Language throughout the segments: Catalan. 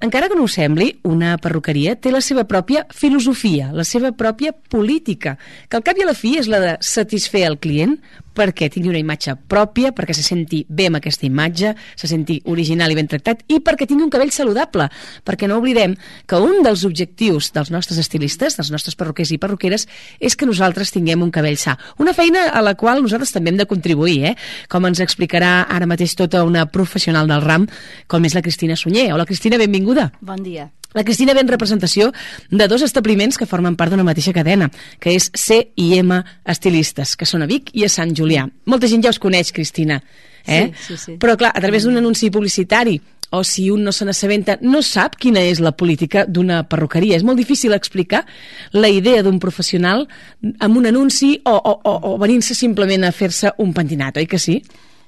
encara que no ho sembli, una perruqueria té la seva pròpia filosofia, la seva pròpia política, que al cap i a la fi és la de satisfer el client perquè tingui una imatge pròpia, perquè se senti bé amb aquesta imatge, se senti original i ben tractat, i perquè tingui un cabell saludable, perquè no oblidem que un dels objectius dels nostres estilistes, dels nostres perruquers i perruqueres, és que nosaltres tinguem un cabell sa. Una feina a la qual nosaltres també hem de contribuir, com ens explicarà ara mateix tota una professional del ram, com és la Cristina Sunyer. Hola, Cristina, benvinguda. Bon dia. La Cristina ve en representació de dos establiments que formen part d'una mateixa cadena, que és C&M Estilistes, que són a Vic i a Sant Julià. Molta gent ja us coneix, Cristina, Sí. Però clar, a través d'un anunci publicitari, o si un no se n'assabenta, no sap quina és la política d'una perruqueria. És molt difícil explicar la idea d'un professional amb un anunci o venint-se simplement a fer-se un pentinat, oi que sí?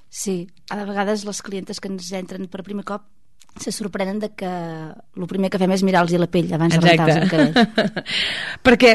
Sí, a vegades les clientes que ens entren per primer cop se sorprenen de que el primer que fem és mirar-los la pell abans de rentar-los el cabell. Perquè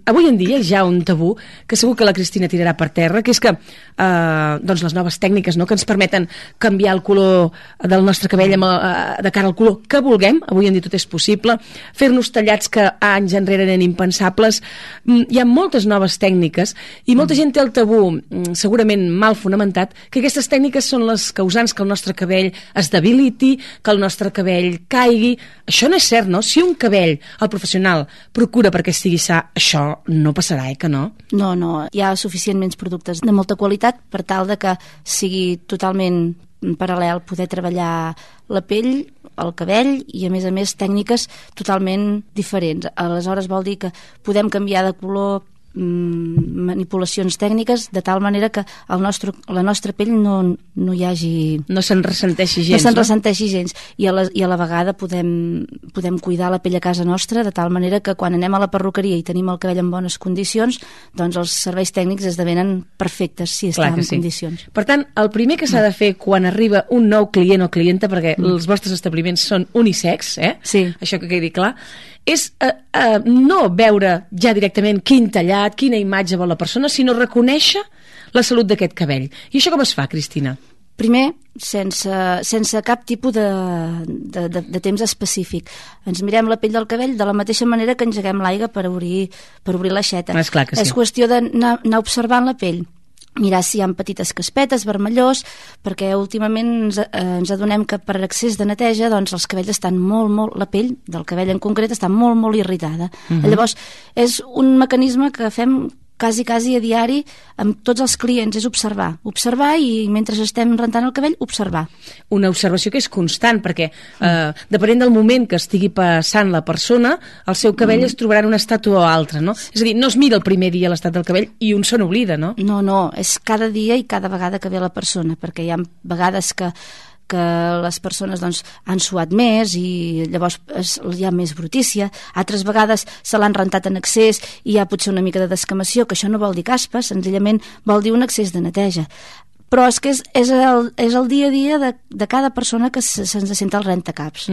avui en dia hi ha un tabú que segur que la Cristina tirarà per terra, que és que doncs les noves tècniques que ens permeten canviar el color del nostre cabell de cara al color que vulguem, avui en dia tot és possible, fer-nos tallats que anys enrere eren impensables. Hi ha moltes noves tècniques i molta gent té el tabú, segurament mal fonamentat, que aquestes tècniques són les causants que el nostre cabell es debiliti, que el nostre cabell caigui. Això no és cert, no? Si un cabell, el professional, procura perquè estigui sa, això no passarà, que no? No, hi ha suficientment productes de molta qualitat per tal de que sigui totalment paral·lel poder treballar la pell, el cabell i a més tècniques totalment diferents. Aleshores vol dir que podem canviar de color, manipulacions tècniques de tal manera que la nostra pell no hi hagi... No se'n ressenteixi gens, no? Se'n ressenteixi gens. I a la vegada podem cuidar la pell a casa nostra de tal manera que quan anem a la perruqueria i tenim el cabell en bones condicions, doncs els serveis tècnics esdevenen perfectes si estan en condicions. Per tant, el primer que s'ha de fer quan arriba un nou client o clienta, perquè els vostres establiments són unisex, Sí. Això que quedi clar, és no veure ja directament quin tallat, quina imatge vol la persona, sinó reconèixer la salut d'aquest cabell. I això com es fa, Cristina? Primer, sense cap tipus de temps específic. Ens mirem la pell del cabell de la mateixa manera que engeguem l'aigua per obrir l'aixeta. És clar que sí. És qüestió d'anar observant la pell, mirar si hi ha petites caspetes, vermellós, perquè últimament ens adonem que per excés de neteja doncs els cabells estan la pell del cabell en concret està molt irritada. Llavors, és un mecanisme que fem quasi a diari amb tots els clients, és observar i mentre estem rentant el cabell, observar. Una observació que és constant, perquè depenent del moment que estigui passant la persona, el seu cabell es trobarà en un estat o altre, no? És a dir, no es mira el primer dia l'estat del cabell i un se n'oblida, no? No, és cada dia i cada vegada que ve la persona, perquè hi ha vegades que les persones doncs, han suat més i llavors hi ha més brutícia, altres vegades se l'han rentat en excés i hi ha potser una mica de descamació, que això no vol dir caspa, senzillament vol dir un excés de neteja. Però és que és el dia a dia de cada persona que se'ns sent el rentacaps.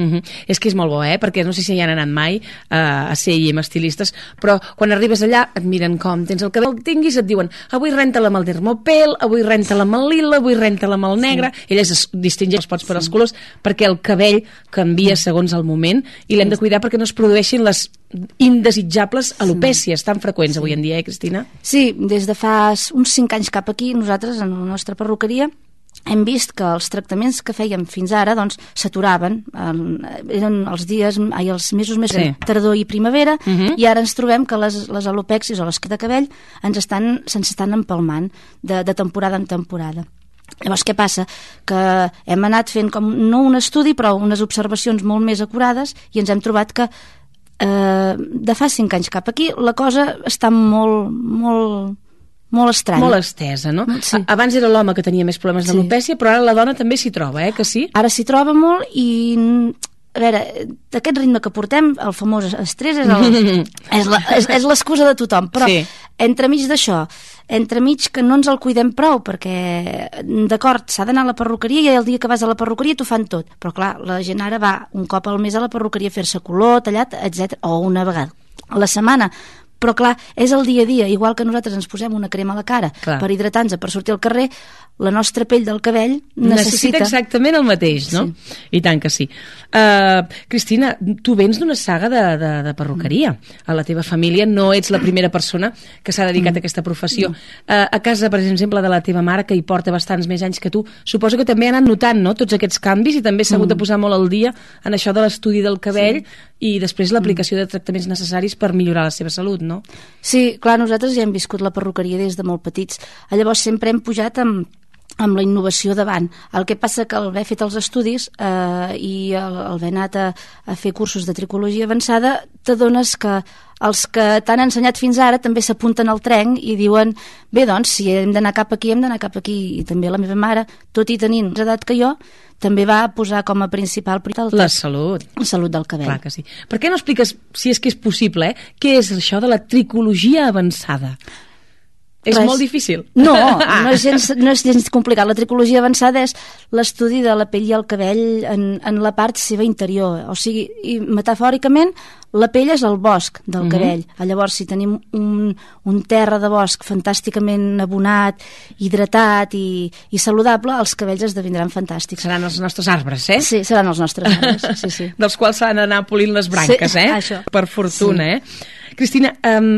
És que és molt bo, perquè no sé si hi han anat mai a C&M Estilistes, però quan arribes allà et miren com tens el cabell, tinguis, et diuen avui renta-la amb el dermopel, avui renta-la amb el lila, avui renta-la amb el negre. Elles es distingeixen els pots per als colors perquè el cabell canvia segons el moment i l'hem de cuidar perquè no es produeixin les indesitjables alopècies tan freqüents avui en dia, Cristina? Sí, des de fa uns 5 anys cap aquí, nosaltres, en la nostra perruqueria, hem vist que els tractaments que fèiem fins ara doncs s'aturaven, eren els mesos més tardor i primavera, i ara ens trobem que les alopècies o les de cabell se'ns estan empalmant de temporada en temporada. Llavors, què passa? Que hem anat fent com, no un estudi, però unes observacions molt més acurades i ens hem trobat que de fa 5 anys cap aquí la cosa està molt estranya. Molt estesa, no? Sí. Abans era l'home que tenia més problemes d'alopècia, però ara la dona també s'hi troba, que sí? Ara s'hi troba molt i... A veure, d'aquest ritme que portem, el famós estrès és l'excusa de tothom, però entremig d'això, entremig que no ens el cuidem prou, perquè, d'acord, s'ha d'anar a la perruqueria i el dia que vas a la perruqueria t'ho fan tot, però clar, la gent ara va un cop al mes a la perruqueria a fer-se color, tallat, etc, o una vegada a la setmana. Però clar, és el dia a dia, igual que nosaltres ens posem una crema a la cara per hidratar-nos, per sortir al carrer, la nostra pell del cabell necessita exactament el mateix, no? Sí. I tant que sí. Cristina, tu vens d'una saga de perruqueria. A la teva família no ets la primera persona que s'ha dedicat a aquesta professió. A casa, per exemple, de la teva mare, que hi porta bastants més anys que tu, suposo que també han anat notant, no?, tots aquests canvis, i també s'ha hagut de posar molt al dia en això de l'estudi del cabell i després l'aplicació de tractaments necessaris per millorar la seva salut, no? Sí, clar, nosaltres ja hem viscut la perruqueria des de molt petits. Llavors sempre hem pujat amb la innovació davant. El que passa que al haver fet els estudis i al haver anat a fer cursos de tricologia avançada, t'adones que els que t'han ensenyat fins ara també s'apunten al tren i diuen, bé, doncs, si hem d'anar cap aquí, hem d'anar cap aquí. I també la meva mare, tot i tenint més edat que jo, també va posar com a principal la salut. La salut del cabell. Clar que sí. Per què no expliques, si és que és possible, què és això de la tricologia avançada? És molt difícil. No és gens complicat. La tricologia avançada és l'estudi de la pell i el cabell en la part seva interior. O sigui, i metafòricament, la pell és el bosc del cabell. Llavors, si tenim un terra de bosc fantàsticament abonat, hidratat i saludable, els cabells esdevindran fantàstics. Seran els nostres arbres, eh? Sí, seran els nostres arbres, sí. Dels quals s'han d'anar polint les branques, sí, això. Per fortuna, sí. Cristina,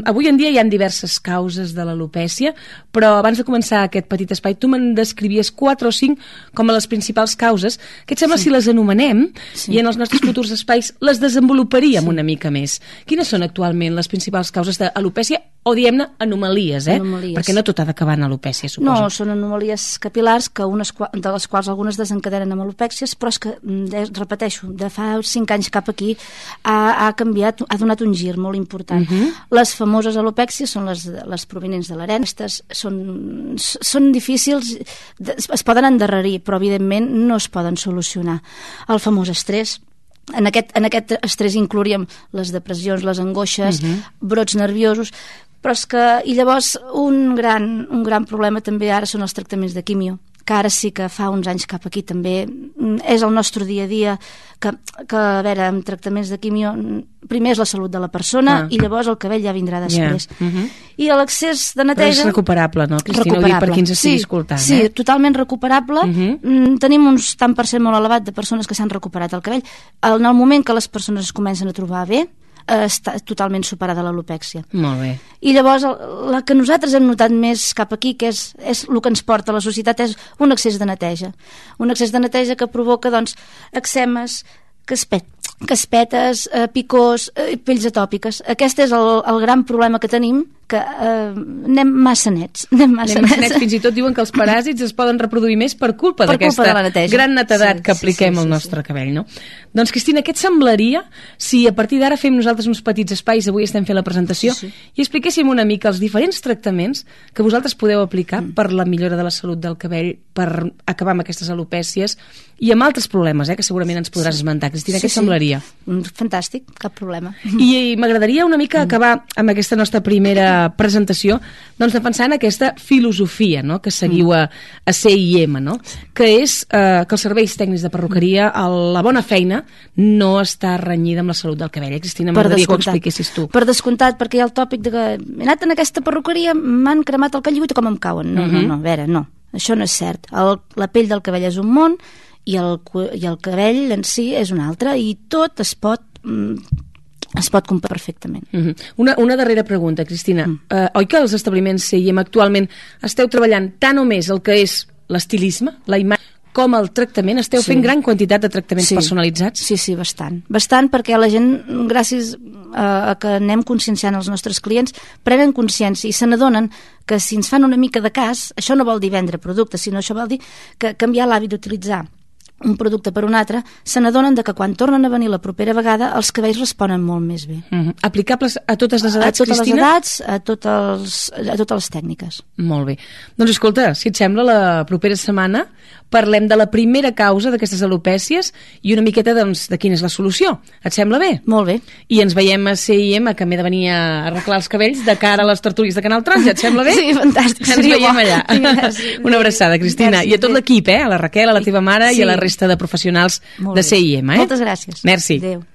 avui en dia hi ha diverses causes de l'alopècia, però abans de començar aquest petit espai tu me'n descrivies 4 o 5 com a les principals causes. Què et sembla si les anomenem i en els nostres futurs espais les desenvoluparíem una mica més? Quines són actualment les principals causes d'alopècia o, diguem-ne, anomalies, Anomalies. Perquè no tot ha d'acabar en alopècia, suposo. No, són anomalies capil·lars de les quals algunes desencadenen amb alopècies, però és que, repeteixo, de fa 5 anys cap aquí ha canviat, ha donat un gir molt important. Les famoses alopècies són les provinents de l'arena. Aquestes són difícils, es poden endarrerir, però evidentment no es poden solucionar. El famós estrès. En aquest estrès inclouríem les depressions, les angoixes, brots nerviosos, però és que, i llavors un gran problema també ara són els tractaments de quimio, que ara sí que fa uns anys cap aquí també és el nostre dia a dia, que a veure, amb tractaments de quimio primer és la salut de la persona i llavors el cabell ja vindrà després. I l'excés de neteja... Però és recuperable, no, Cristina? Ho dic per qui ens estigui escoltant. Sí, totalment recuperable. Tenim un tant per cent molt elevat de persones que s'han recuperat el cabell. En el moment que les persones es comencen a trobar bé, està totalment superada l'alopècia. Molt bé. I llavors la que nosaltres hem notat més cap aquí, que és el que ens porta a la societat, és un excés de neteja. Un excés de neteja que provoca, doncs, eczemes, caspetes, picors, pells atòpiques. Aquest és el gran problema que tenim, que anem massa nets. Fins i tot diuen que els paràsits es poden reproduir més per culpa d'aquesta gran netedat que apliquem al nostre cabell, no? Doncs, Cristina, què et semblaria si a partir d'ara fem nosaltres uns petits espais, avui estem fent la presentació, i expliquéssim una mica els diferents tractaments que vosaltres podeu aplicar per la millora de la salut del cabell, per acabar amb aquestes alopècies i amb altres problemes, que segurament ens podràs esmentar. Cristina, què et semblaria? Fantàstic, cap problema. I m'agradaria una mica acabar amb aquesta nostra primera presentació, doncs defensant aquesta filosofia, no?, que seguiu a CIM, no?, que és que els serveis tècnics de perruqueria, la bona feina, no està renyida amb la salut del cabell. Cristina, m'agradaria que ho expliquessis tu. Per descomptat, perquè hi ha el tòpic de que he anat en aquesta perruqueria, m'han cremat el cabell i com em cauen. No, a veure, no, això no és cert. La pell del cabell és un món i el cabell en si és un altre, i tot es pot comprar perfectament. Una darrera pregunta, Cristina. Oi que els establiments CIM actualment esteu treballant tant o més el que és l'estilisme, la imatge, com el tractament? Esteu fent gran quantitat de tractaments personalitzats? Sí, bastant. Bastant, perquè la gent, gràcies a que anem conscienciant els nostres clients, prenen consciència i se n'adonen que si ens fan una mica de cas, això no vol dir vendre productes, sinó això vol dir que canviar l'hàbit d'utilitzar un producte per un altre, se n'adonen que quan tornen a venir la propera vegada els cabells responen molt més bé. Aplicables a totes les edats, Cristina? A totes les edats, a totes les tècniques. Molt bé. Doncs escolta, si et sembla, la propera setmana parlem de la primera causa d'aquestes alopècies i una miqueta, doncs, de quina és la solució. Et sembla bé? Molt bé. I ens veiem a CIM, que m'he de venir a arreglar els cabells de cara a les tertúlies de Canal Taronja. Et sembla bé? Sí, fantàstic. Ens veiem allà. Una abraçada, Cristina. I a tot l'equip, a la Raquel, a la teva mare i a la resta de professionals de CIM. Moltes gràcies. Merci. Adéu.